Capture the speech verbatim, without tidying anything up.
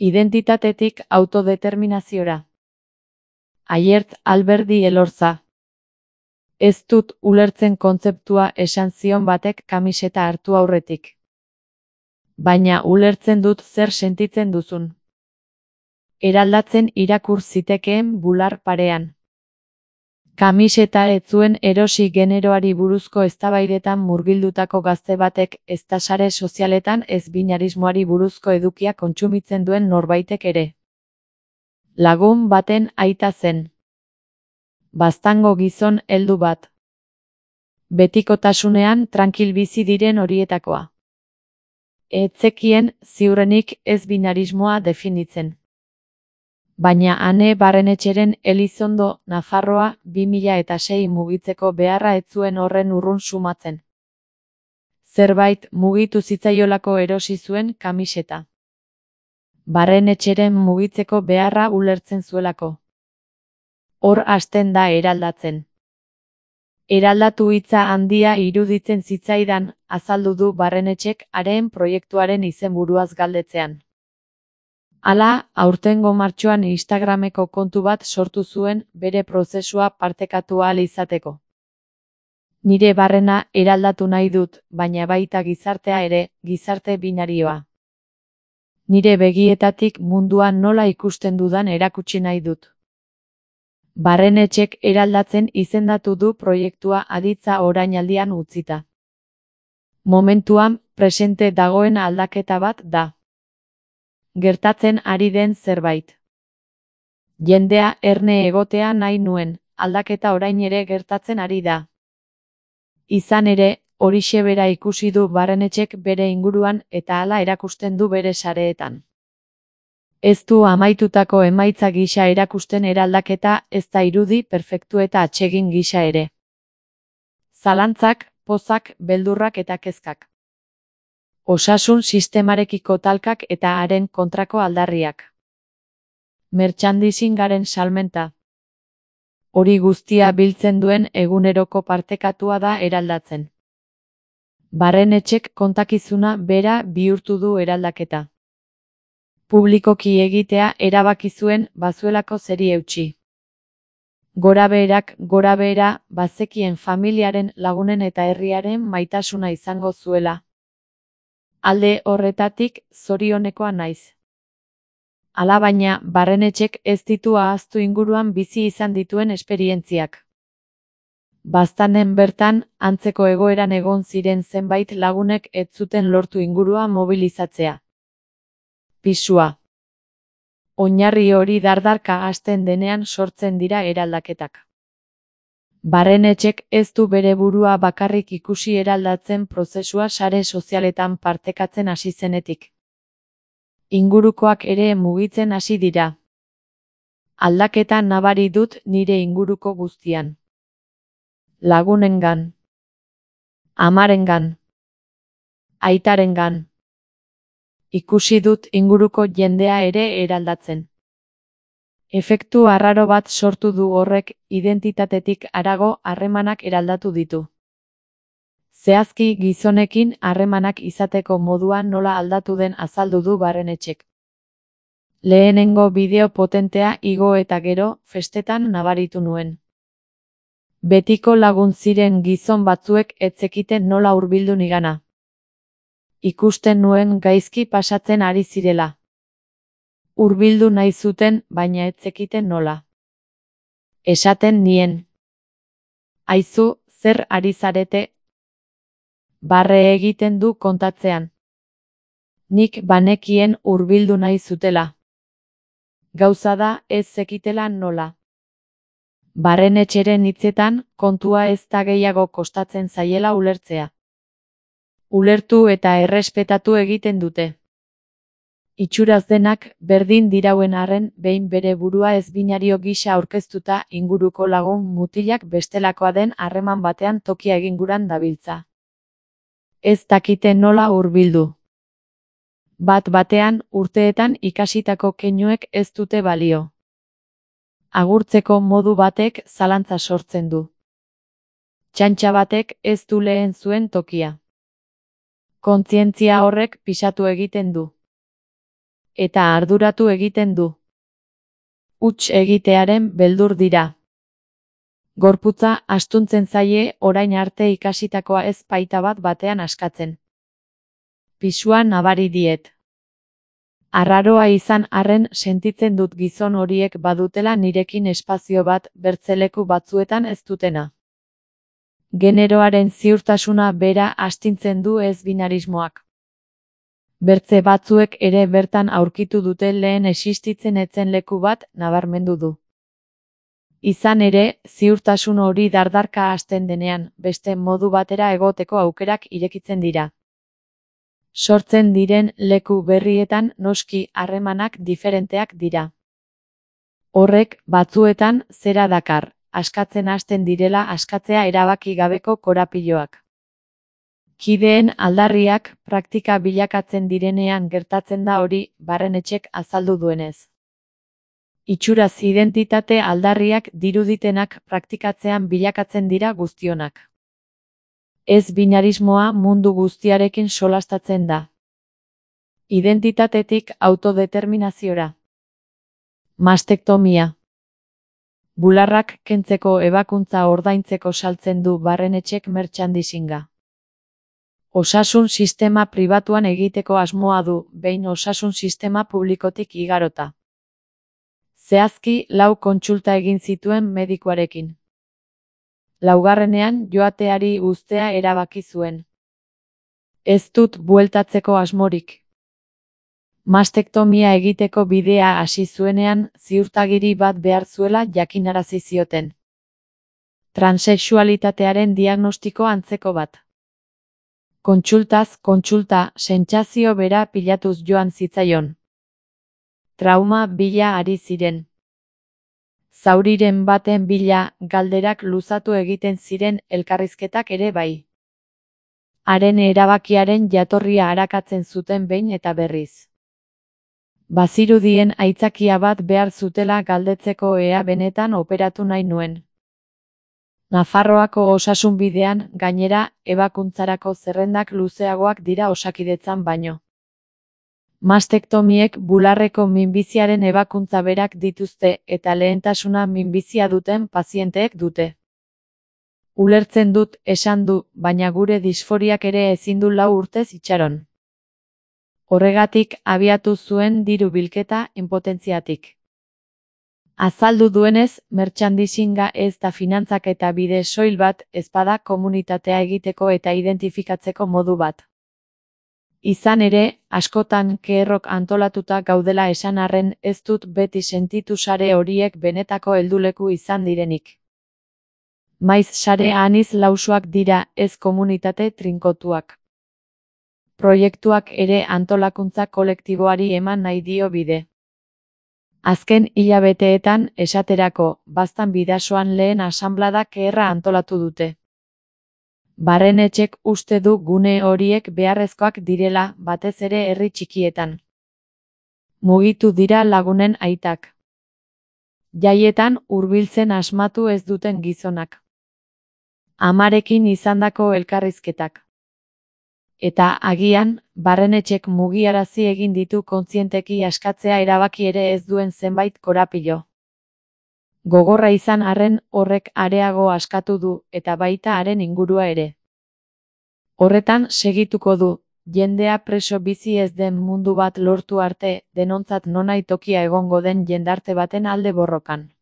Identitatetik autodeterminaziora. Aiert Alberdi Elorza. Ez dut ulertzen kontzeptua esan zion batek kamiseta hartu aurretik. Baina ulertzen dut zer sentitzen duzun. Eraldatzen irakur zitekeen bular parean. Kamiseta ez zuen erosi generoari buruzko eztabaidetan murgildutako gazte batek ezta sare sozialetan ez binarismoari buruzko edukia kontsumitzen duen norbaitek ere. Lagun baten aita zen. Baztango gizon heldu bat. Betikotasunean trankil bizi diren horietakoa. Ez zekien ziurrenik ez binarismoa definitzen. Baina Ane Barrenetxeren Elizondo, Nafarroa, bi mila eta sei mugitzeko beharra ez zuen horren urrun sumatzen. Zerbait mugitu zitzaiolako erosi zuen kamiseta. Barrenetxeren mugitzeko beharra ulertzen zuelako. Hor hasten da eraldatzen. Eraldatu hitza handia iruditzen zitzaidan, azaldu du Barrenetxek haren proiektuaren izenburuaz galdetzean. Hala, aurtengo martxoan Instagrameko kontu bat sortu zuen bere prozesua partekatu ahal izateko. Nire barrena eraldatu nahi dut, baina baita gizartea ere, gizarte binarioa. Nire begietatik mundua nola ikusten dudan erakutsi nahi dut. Barrenetxek eraldatzen izendatu du proiektua aditza orainaldian utzita. Momentuan, presente dagoen aldaketa bat da. Gertatzen ari den zerbait. Jendea erne egotea nahi nuen, aldaketa orain ere gertatzen ari da. Izan ere, horixe bera ikusi du Barrenetxek bere inguruan eta hala erakusten du bere sareetan. Ez du amaitutako emaitza gisa erakusten eraldaketa, ez da irudi perfektu eta atsegin gisa ere. Zalantzak, pozak, beldurrak eta kezkak. Osasun sistemarekiko talkak eta haren kontrako aldarriak. Merchandisingaren salmenta. Hori guztia biltzen duen eguneroko partekatua da eraldatzen. Barrenetxek kontakizuna bera bihurtu du eraldaketa. Publikoki egitea erabaki zuen bazuelako zeri eutsi. Gorabeherak gorabehera bazekien familiaren, lagunen eta herriaren maitasuna izango zuela. Alde horretatik zorionekoa naiz. Alabaina, Barrenetxek ez ditu ahaztu inguruan bizi izan dituen esperientziak. Baztanen bertan, antzeko egoeran egon ziren zenbait lagunek ez zuten lortu ingurua mobilizatzea. Pisua. Oinarri hori dardarka hasten denean sortzen dira eraldaketak. Barrenetxek ez du bere burua bakarrik ikusi eraldatzen prozesua sare sozialetan partekatzen hasi zenetik. Ingurukoak ere mugitzen hasi dira. Aldaketa nabari dut nire inguruko guztian. Lagunengan. Amarengan. Aitarengan. Ikusi dut inguruko jendea ere eraldatzen. Efektu arraro bat sortu du horrek, identitatetik harago harremanak eraldatu ditu. Zehazki gizonekin harremanak izateko modua nola aldatu den azaldu du Barrenetxek. Lehenengo bideo potentea igo eta gero, festetan nabaritu nuen. Betiko lagun ziren gizon batzuek ez zekiten nola hurbildu nigana. Ikusten nuen gaizki pasatzen ari zirela. Hurbildu nahi zuten, baina ez zekiten nola. Esaten nien. Aizu, zer ari zarete? Barre egiten du kontatzean. Nik banekien hurbildu nahi zutela. Gauza da ez zekitela nola. Barrenetxeren hitzetan, kontua ez da gehiago kostatzen zaiela ulertzea. Ulertu eta errespetatu egiten dute. Itxuraz denak, berdin dirauen arren, behin bere burua ez binario gisa aurkeztuta inguruko lagun mutilak bestelakoa den harreman batean tokia eginguran dabiltza. Ez dakite nola hurbildu. Bat batean, urteetan ikasitako keinuek ez dute balio. Agurtzeko modu batek zalantza sortzen du. Txantxa batek ez du lehen zuen tokia. Kontzientzia horrek pisatu egiten du. eta arduratu egiten du. Huts egitearen beldur dira. Gorputza astuntzen zaie orain arte ikasitakoa ez baita bat batean askatzen. Pisua nabari diet. Arraroa izan arren sentitzen dut gizon horiek badutela nirekin espazio bat bertzeleku batzuetan ez dutena. Generoaren ziurtasuna bera astintzen du ez binarismoak. Bertze batzuek ere bertan aurkitu dute lehen existitzen etzen leku bat nabarmendu du. Izan ere, ziurtasun hori dardarka hasten denean, beste modu batera egoteko aukerak irekitzen dira. Sortzen diren leku berrietan noski harremanak diferenteak dira. Horrek, batzuetan, zera dakar, askatzen hasten direla askatzea erabaki gabeko korapiloak. Kideen aldarriak praktika bilakatzen direnean gertatzen da hori, Barrenetxek azaldu duenez. Itxuraz identitate aldarriak diruditenak praktikatzean bilakatzen dira guztionak. Ez binarismoa mundu guztiarekin solastatzen da. Identitatetik autodeterminaziora. Mastektomia. Bularrak kentzeko ebakuntza ordaintzeko saltzen du Barrenetxek merchandisinga. Osasun sistema pribatuan egiteko asmoa du, behin osasun sistema publikotik igarota. Zehazki lau kontsulta egin zituen medikuarekin. Laugarrenean joateari uztea erabaki zuen. Ez dut bueltatzeko asmorik. Mastektomia egiteko bidea hasi zuenean ziurtagiri bat behar zuela jakinarazi zioten. Transexualitatearen diagnostiko antzeko bat. Kontsultaz kontsulta sentsazio bera pilatuz joan zitzaion. Trauma bila ari ziren. Zauriren baten bila galderak luzatu egiten ziren elkarrizketak ere bai. Haren erabakiaren jatorria arakatzen zuten behin eta berriz. Bazirudien aitzakia bat behar zutela galdetzeko ea benetan operatu nahi nuen. Nafarroako osasunbidean, gainera, ebakuntzarako zerrendak luzeagoak dira Osakidetzan baino. Mastektomiek bularreko minbiziaren ebakuntza berak dituzte eta lehentasuna minbizia duten pazienteek dute. Ulertzen dut, esan du, baina gure disforiak ere ezin du lau urtez itxaron. Horregatik abiatu zuen diru bilketa inpotentziatik. Azaldu duenez, merchandisinga ez da finantzak eta bide soil bat, ezpada komunitatea egiteko eta identifikatzeko modu bat. Izan ere, askotan keerrok antolatuta gaudela esan arren ez dut beti sentitu sare horiek benetako helduleku izan direnik. Maiz sare aniz lausoak dira, ez komunitate trinkotuak. Proiektuak ere antolakuntza kolektiboari eman nahi dio bide. Azken hilabeteetan, esaterako, Baztan Bidasoan lehen asanblada keerra antolatu dute. Barrenetxek uste du gune horiek beharrezkoak direla, batez ere herri txikietan. Mugitu dira lagunen aitak. Jaietan hurbiltzen asmatu ez duten gizonak. Amarekin izandako elkarrizketak. Eta agian, Barrenetxek mugiarazi egin ditu kontzienteki askatzea erabaki ere ez duen zenbait korapilo. Gogorra izan arren horrek areago askatu du, eta baita haren ingurua ere. Horretan segituko du, jendea preso bizi ez den mundu bat lortu arte, denontzat nonai tokia egongo den jendarte baten alde borrokan.